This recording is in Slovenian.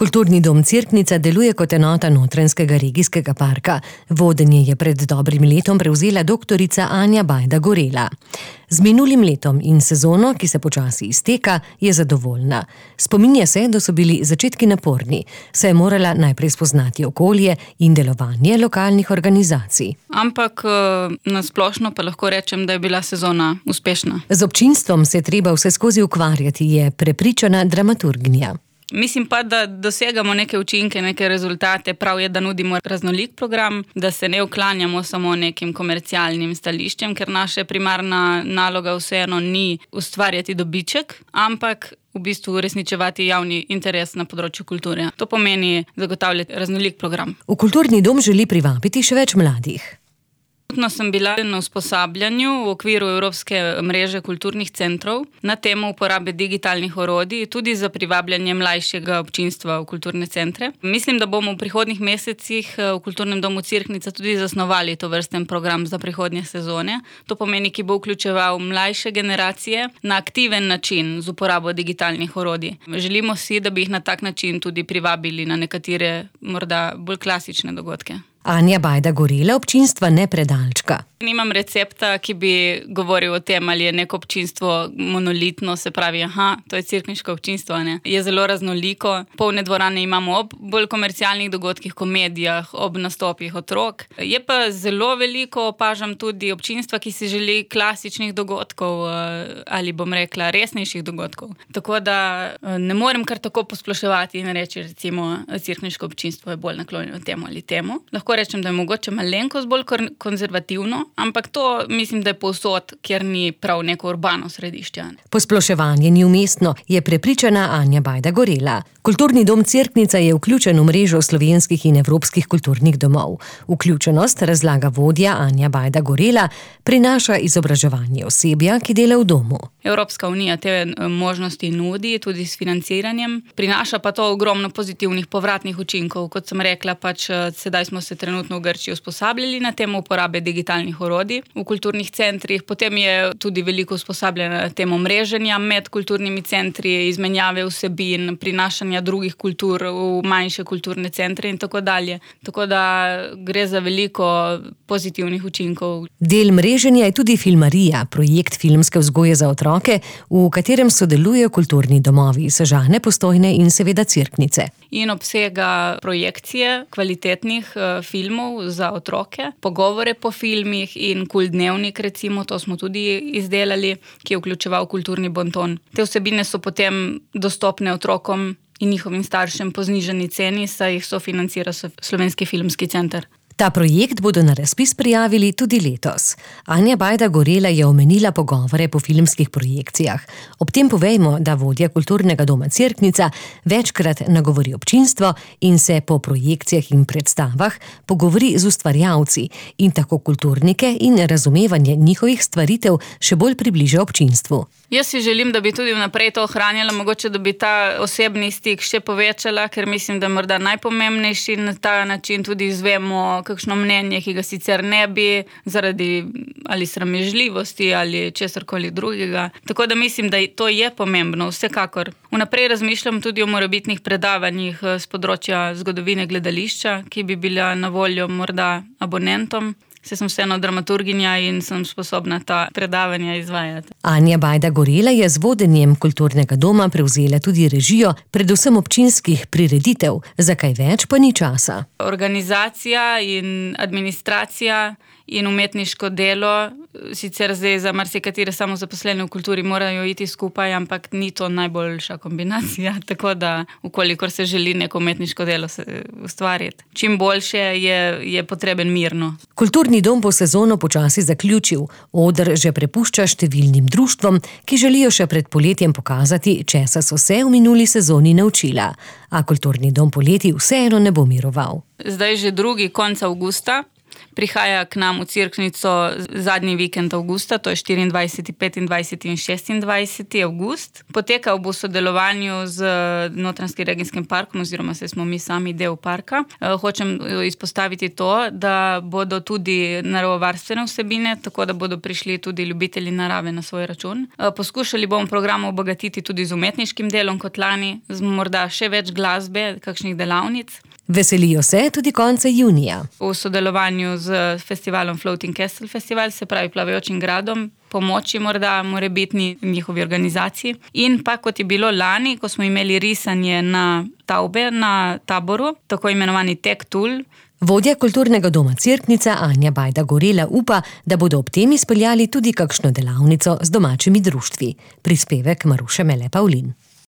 Kulturni dom Cerknica deluje kot enota Notranjskega regijskega parka. Vodenje je pred dobrim letom prevzela doktorica Anja Bajda Gorela. Z minulim letom in sezono, ki se počasi izteka, je zadovoljna. Spominja se, da so bili začetki naporni, saj je morala najprej spoznati okolje in delovanje lokalnih organizacij. Ampak na splošno pa lahko rečem, da je bila sezona uspešna. Z občinstvom se je treba vseskozi ukvarjati, je prepričana dramaturginja. Mislim pa, da dosegamo neke učinke, neke rezultate. Prav je, da nudimo raznolik program, da se ne uklanjamo samo nekim komercialnim stališčem, ker naša primarna naloga vseeno ni ustvarjati dobiček, ampak v bistvu uresničevati javni interes na področju kulture. To pomeni zagotavljati raznolik program. V kulturni dom želi privabiti še več mladih. Sem bila na usposabljanju v okviru Evropske mreže kulturnih centrov na temo uporabe digitalnih orodij, tudi za privabljanje mlajšega občinstva v kulturne centre. Mislim, da bomo v prihodnjih mesecih v Kulturnem domu Cerknica tudi zasnovali tovrsten program za prihodnje sezone. To pomeni, ki bo vključeval mlajše generacije na aktiven način z uporabo digitalnih orodij. Želimo si, da bi jih na tak način tudi privabili na nekatere morda bolj klasične dogodke. Anja Bajda Gorela občinstva ne predalčka. Nimam recepta, ki bi govoril o tem, ali je neko občinstvo monolitno, se pravi, to je cerkniško občinstvo, ne. Je zelo raznoliko. Polne dvorane imamo ob bolj komercialnih dogodkih, komedijah, ob nastopih otrok. Je pa zelo veliko, opažam tudi občinstva, ki si želi klasičnih dogodkov ali bom rekla resnejših dogodkov. Tako da ne morem kar tako posploševati in reči, recimo, cerkniško občinstvo je bolj naklonjeno temu ali temu. Lahko rečem, da je mogoče malenkost bolj konzervativno, ampak to mislim, da je povsod, kjer ni prav neko urbano središče. Posploševanje ni umestno, je prepričana Anja Bajda Gorela. Kulturni dom Cerknica je vključen v mrežo slovenskih in evropskih kulturnih domov. Vključenost, razlaga vodja Anja Bajda Gorela, prinaša izobraževanje osebja, ki dela v domu. Evropska unija te možnosti nudi tudi s financiranjem. Prinaša pa to ogromno pozitivnih povratnih učinkov. Kot sem rekla, sedaj smo se trenutno v Grčiji usposabljali na temo uporabe digitalnih orodij v kulturnih centrih. Potem je tudi veliko usposabljanja na temo mreženja med kulturnimi centri, izmenjave vsebin, prinašanja drugih kultur v manjše kulturne centre in tako dalje. Tako da gre za veliko pozitivnih učinkov. Del mreženja je tudi Filmarija, projekt filmske vzgoje za otroke, v katerem sodelujejo kulturni domovi Sežane, Postojne in seveda Cerknice. In obsega projekcije kvalitetnih filmov za otroke, pogovore po filmih in dnevnik, recimo, to smo tudi izdelali, ki je vključeval kulturni bonton. Te vsebine so potem dostopne otrokom in njihovim staršem po znižani ceni, saj jih sofinancira Slovenski filmski center. Ta projekt bodo na razpis prijavili tudi letos. Anja Bajda Gorela je omenila pogovore po filmskih projekcijah. Ob tem povejmo, da vodja Kulturnega doma Cerknica večkrat nagovori občinstvo in se po projekcijah in predstavah pogovori z ustvarjalci in tako kulturnike in razumevanje njihovih stvaritev še bolj približa občinstvu. Jaz si želim, da bi tudi vnaprej to ohranjala, mogoče, da bi ta osebni stik še povečala, ker mislim, da je morda najpomembnejši na ta način tudi izvemo kakšno mnenje, ki ga sicer ne bi zaradi ali sramežljivosti ali česarkoli drugega. Tako da mislim, da to je pomembno, vsekakor. Vnaprej razmišljam tudi o morebitnih predavanjih z področja zgodovine gledališča, ki bi bila na voljo morda abonentom. Saj sem vseeno dramaturginja in sem sposobna ta predavanja izvajati. Anja Bajda Gorela je z vodenjem Kulturnega doma prevzela tudi režijo, predvsem občinskih prireditev, za kaj več pa ni časa. Organizacija in administracija in umetniško delo, sicer zdaj za marsikatere samozaposlene v kulturi morajo iti skupaj, ampak ni to najboljša kombinacija, tako da ukolikor se želi neko umetniško delo ustvariti. Čim boljše je potreben mirno. Kulturni dom bo sezono počasi zaključil. Oder že prepušča številnim društvom, ki želijo še pred poletjem pokazati, česa so se v minuli sezoni naučila. A Kulturni dom poleti vseeno ne bo miroval. Zdaj že drugi konec avgusta prihaja k nam v Cerknico zadnji vikend avgusta, to je 24., 25. in 26. avgust. Potekal bo v sodelovanju z Notranjskim regijskim parkom, oziroma smo mi sami del parka. Hočem izpostaviti to, da bodo tudi naravovarstvene vsebine, tako da bodo prišli tudi ljubitelji narave na svoj račun. Poskušali bomo program obogatiti tudi z umetniškim delom kot lani, z morda še več glasbe, kakšnih delavnic. Veselijo se tudi konca junija. V sodelovanju z festivalom Floating Castle Festival, se pravi Plavajočim gradom, pomoči morda morebitni njihovi organizaciji. In pa kot je bilo lani, ko smo imeli risanje na tavbe na taboru, tako imenovani Tech Tool. Vodja kulturnega doma Cerknica Anja Bajda Gorela upa, da bodo ob tem izpeljali tudi kakšno delavnico z domačimi društvi. Prispevek Maruše Mele Pavlin.